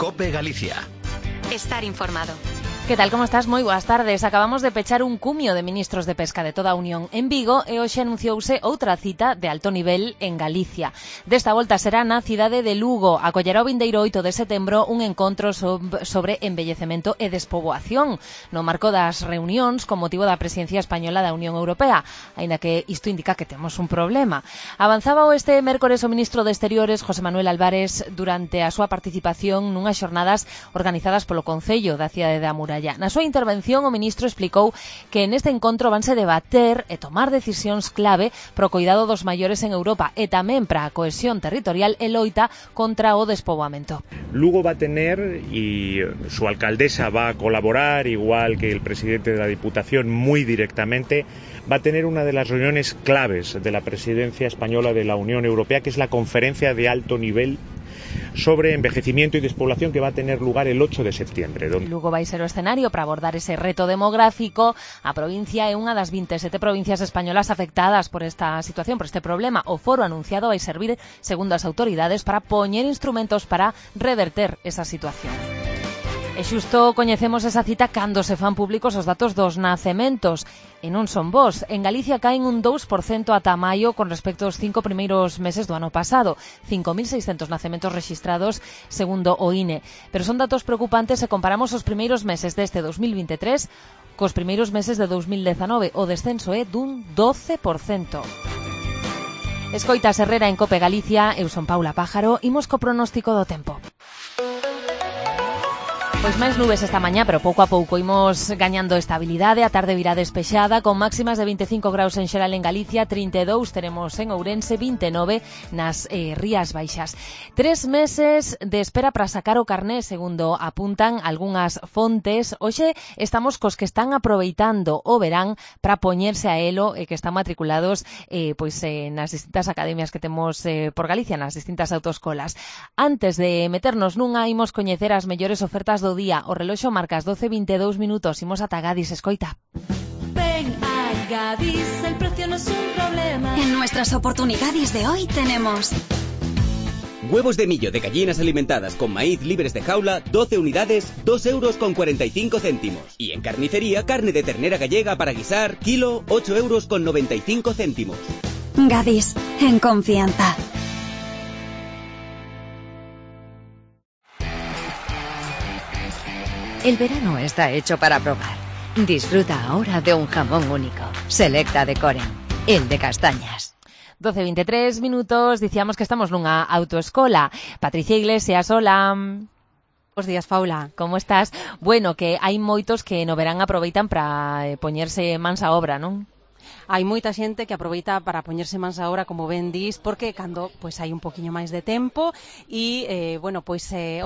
COPE Galicia. Estar informado. Que tal, como estás? Moi boas tardes. Acabamos de pechar un cumio de ministros de pesca de toda a Unión en Vigo e hoxe anunciouse outra cita de alto nivel en Galicia. Desta volta será na cidade de Lugo. Acollerá o vindeiro 8 de setembro un encontro sobre envellecemento e despoboación no marco das reunións con motivo da presidencia española da Unión Europea, aínda que isto indica que temos un problema. Avanzaba este mércores o ministro de Exteriores, José Manuel Álvarez, durante a súa participación nunhas xornadas organizadas polo Concello da cidade da Muralla. Na súa intervención, o ministro explicou que neste encontro vanse debater e tomar decisións clave pro cuidado dos maiores en Europa e tamén para a cohesión territorial e loita contra o despoboamento. Lugo va a tener, y su alcaldesa va a colaborar, igual que el presidente de la Diputación, muy directamente, va a tener una de las reuniones claves de la presidencia española de la Unión Europea, que es la conferencia de alto nivel sobre envejecimiento y despoblación, que va a tener lugar el 8 de septiembre. Lugo vai ser o escenario para abordar ese reto demográfico. A provincia é unha das 27 provincias españolas afectadas por esta situación, por este problema. O foro anunciado vai servir, segundo as autoridades, para poñer instrumentos para reverter esa situación. E xusto coñecemos esa cita cando se fan públicos os datos dos nacementos. E non son bons. En Galicia caen un 2% ata maio con respecto aos 5 primeiros meses do ano pasado. 5.600 nacementos rexistrados, segundo o INE. Pero son datos preocupantes se comparamos os primeiros meses deste 2023 cos primeiros meses de 2019. O descenso é dun 12%. Escoitas Herrera en COPE Galicia, eu son Paula Pájaro, imos co pronóstico do tempo. Pois máis nubes esta mañá, pero pouco a pouco imos gañando estabilidade. A tarde virá despexada, con máximas de 25 graus en xeral en Galicia, 32 teremos en Ourense, 29 nas Rías Baixas. 3 meses de espera para sacar o carné, segundo apuntan algunhas fontes. Hoxe estamos cos que están aproveitando o verán para poñerse a elo e que están matriculados nas distintas academias que temos por Galicia, nas distintas autoescolas. Antes de meternos nunha, imos coñecer as mellores ofertas do día. O reloxo marca as 12:22 minutos. Imos ata Gadis, escoita. Ven a Gadis, el precio no es un problema. En nuestras oportunidades de hoy tenemos huevos de millo de gallinas alimentadas con maíz libres de jaula, 12 unidades, 2,45 €. Y en carnicería, carne de ternera gallega para guisar, kilo, 8,95 €. Gadis, en confianza. El verano está hecho para probar. Disfruta ahora de un jamón único. Selecta de Coren, el de castañas. 12:23 minutos, dicíamos que estamos nunha autoescola. Patricia Iglesias, hola. Bos días, Paula. Como estás? Bueno, que hai moitos que no verán aproveitan para poñerse mans a obra, non? Hai moita xente que aproveita para poñerse mans a obra, como ben dis, porque cando hai un poquinho máis de tempo e, o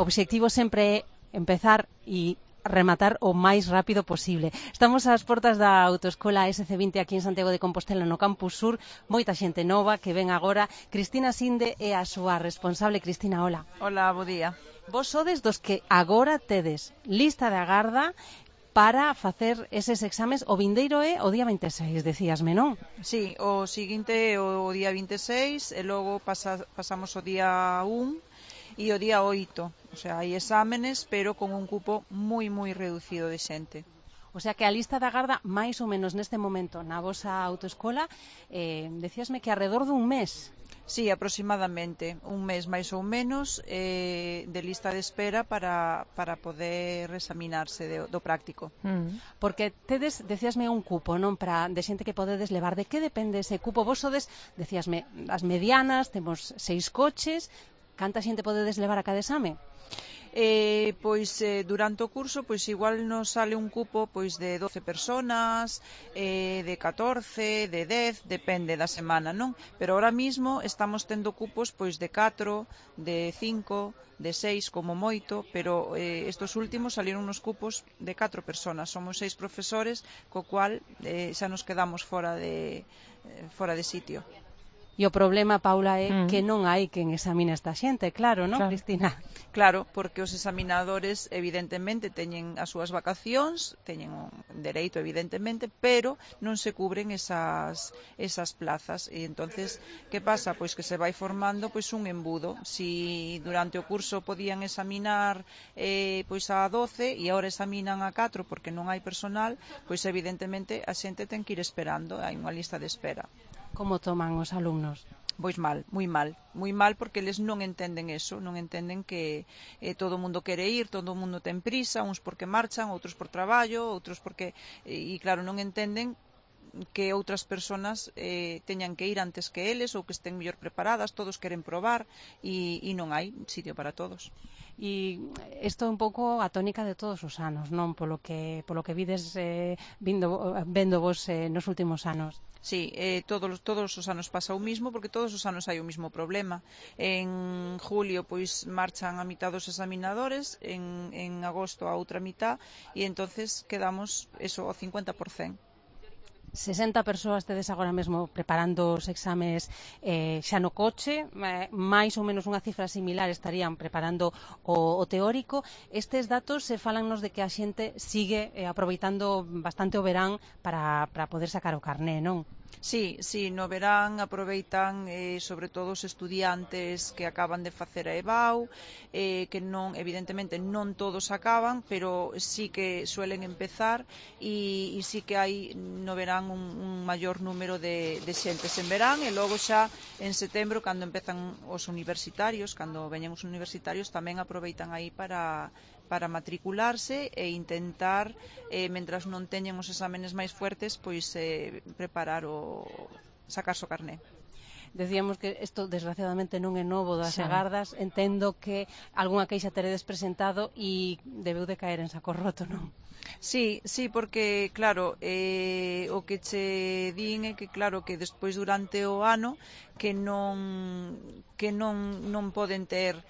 obxectivo sempre é empezar e rematar o máis rápido posible. Estamos ás portas da autoescola SC20 aquí en Santiago de Compostela, no Campus Sur. Moita xente nova que ven agora. Cristina Sinde é a súa responsable. Cristina, hola. Hola, bo día. Vos sodes dos que agora tedes lista de agarda para facer eses exames. O vindeiro é o día 26, decíasme, non? Sí, o seguinte é o día 26 e logo pasamos o día 1 e o día 8. O sea, hai exámenes, pero con un cupo moi reducido de xente. O sea que a lista de agarda, máis ou menos neste momento, na vosa autoescola, decíasme que alrededor dun mes. Sí, aproximadamente un mes máis ou menos de lista de espera para poder examinarse do práctico. Porque tedes, decíasme, un cupo, non, de xente que podedes levar. De que depende ese cupo? Vos sodes, decíasme, as medianas, temos 6 coches. Canta xente podedes levar a cada exame? Durante o curso igual nos sale un cupo de 12 personas, de 14, de 10, depende da semana, non? Pero ahora mismo estamos tendo cupos de 4, de 5, de 6 como moito, pero estos últimos salieron unos cupos de 4 personas. Somos 6 profesores, co cual xa nos quedamos fora de sitio. E o problema, Paula, é que non hai quen examine esta xente, claro, non, Cristina? Claro, porque os examinadores evidentemente teñen as súas vacacións, teñen un dereito evidentemente, pero non se cubren esas plazas e entonces que pasa? Pois que se vai formando pois un embudo. Si durante o curso podían examinar pois a 12 e agora examinan a 4 porque non hai personal, pois evidentemente a xente ten que ir esperando, hai unha lista de espera. Como toman os alumnos? Pois mal, moi mal porque eles non entenden eso, non entenden que todo o mundo quere ir, todo o mundo ten prisa, uns porque marchan, outros por traballo, outros porque, e claro, non entenden que outras persoas teñan que ir antes que eles ou que estén mellor preparadas, todos queren probar e non hai sitio para todos. E isto é un pouco a tónica de todos os anos, non? Polo que vides vendo vos nos últimos anos. Sí, todos os anos pasa o mismo porque todos os anos hai o mismo problema. En julio pois marchan a mitad dos examinadores, en agosto a outra mitad e entonces quedamos eso ao 50%. 60 persoas tedes agora mesmo preparando os exames xa no coche, máis ou menos unha cifra similar estarían preparando o teórico. Estes datos se falannos de que a xente sigue aproveitando bastante o verán para poder sacar o carné, non? Sí, no verán aproveitan sobre todo os estudiantes que acaban de facer a EBAU, que non, evidentemente non todos acaban, pero sí que suelen empezar e sí que hai no verán un maior número de xentes en verán e logo xa en setembro cando empezan os universitarios, cando veñen os universitarios tamén aproveitan aí para matricularse e intentar, mentras non teñen os exámenes máis fuertes, pois preparar sacarse o carné. Decíamos que isto desgraciadamente non é novo das agardas, entendo que algunha queixa teredes presentado e debeu de caer en saco roto, non? Sí, porque, claro, o que che din é que, claro, que despois durante o ano que non poden ter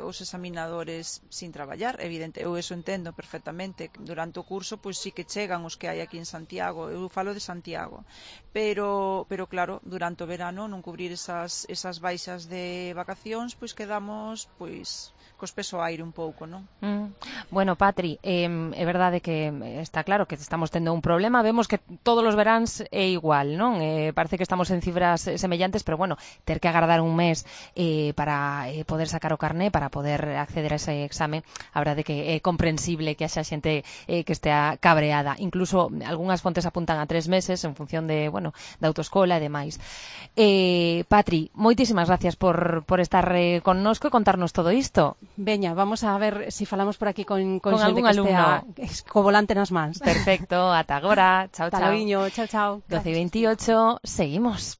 os examinadores sin traballar, evidente, eu eso entendo perfectamente. Durante o curso, pois sí que chegan os que hai aquí en Santiago, eu falo de Santiago, pero claro, durante o verano non cubrir esas baixas de vacacións, pois quedamos, pois cos peso aire un pouco, non? Bueno, Patri, é verdade que está claro que estamos tendo un problema, vemos que todos os veráns é igual, non? Parece que estamos en cifras semellantes, pero bueno, ter que agardar un mes para poder sacar o carné, para poder acceder a ese exame, a verdade que é comprensible que haxa xente que estea cabreada, incluso algunhas fontes apuntan a 3 meses en función de, bueno, da autoescola e demais. Patri, moitísimas gracias por estar connosco e contarnos todo isto. Veña, vamos a ver se falamos por aquí con algún alumno co volante nas mans. Perfecto, ata agora. Chao, chao. Talaviño, chao. 12:28, seguimos.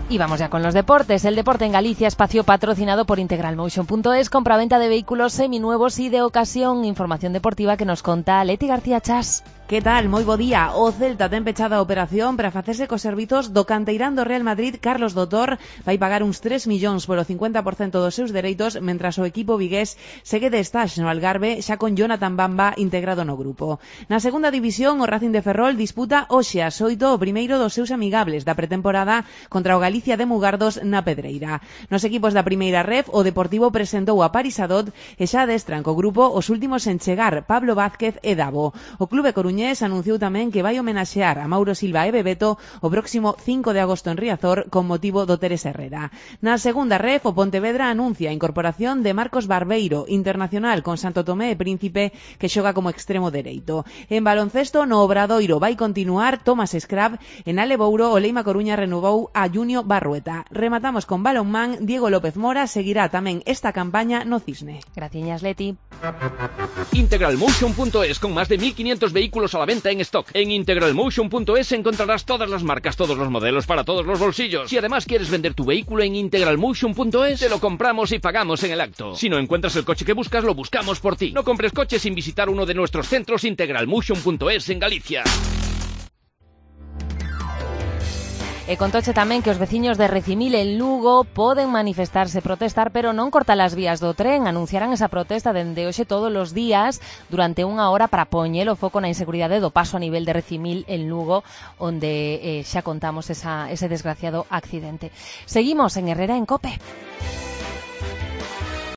Y vamos ya con los deportes. El deporte en Galicia, espacio patrocinado por integralmotion.es, compraventa de vehículos seminuevos y de ocasión. Información deportiva que nos conta Leti García Chas. Que tal? Moi bo día. O Celta ten pechada a operación para facerse cos servizos do canteirán do Real Madrid, Carlos Dotor. Vai pagar uns 3 millóns polo 50% dos seus dereitos, mentras o equipo vigués segue de estaxe no Algarve, xa con Jonathan Bamba integrado no grupo. Na segunda división, o Racing de Ferrol disputa hoxe ás 8 o primeiro dos seus amigables da pretemporada contra o Galicia de Mugardos na Pedreira. Nos equipos da primeira ref, o Deportivo presentou a Parisadot e xa adestran co grupo os últimos en chegar, Pablo Vázquez e Davo. O clube coruñés anunciou tamén que vai homenaxear a Mauro Silva e Bebeto o próximo 5 de agosto en Riazor con motivo do Teres Herrera. Na segunda ref, o Pontevedra anuncia a incorporación de Marcos Barbeiro, internacional con Santo Tomé e Príncipe, que xoga como extremo dereito. En baloncesto, no Obradoiro vai continuar Tomás Scrab, en Alebouro o Leima Coruña renovou a Junio Barrueta. Rematamos con balonmán, Diego López Mora seguirá tamén esta campaña no Cisne. Graciñas, Leti. Integralmotion.es, con más de 1.500 vehículos a la venta en stock. En integralmotion.es encontrarás todas las marcas, todos los modelos para todos los bolsillos. Si además quieres vender tu vehículo en integralmotion.es, te lo compramos y pagamos en el acto. Si no encuentras el coche que buscas, lo buscamos por ti. No compres coche sin visitar uno de nuestros centros Integralmotion.es en Galicia. E contoche tamén que os veciños de Recimil en Lugo poden manifestarse, protestar, pero non cortar as vías do tren. Anunciarán esa protesta dende hoxe todos os días durante unha hora para poñer o foco na inseguridade do paso a nivel de Recimil en Lugo, onde xa contamos ese desgraciado accidente. Seguimos en Herrera en COPE.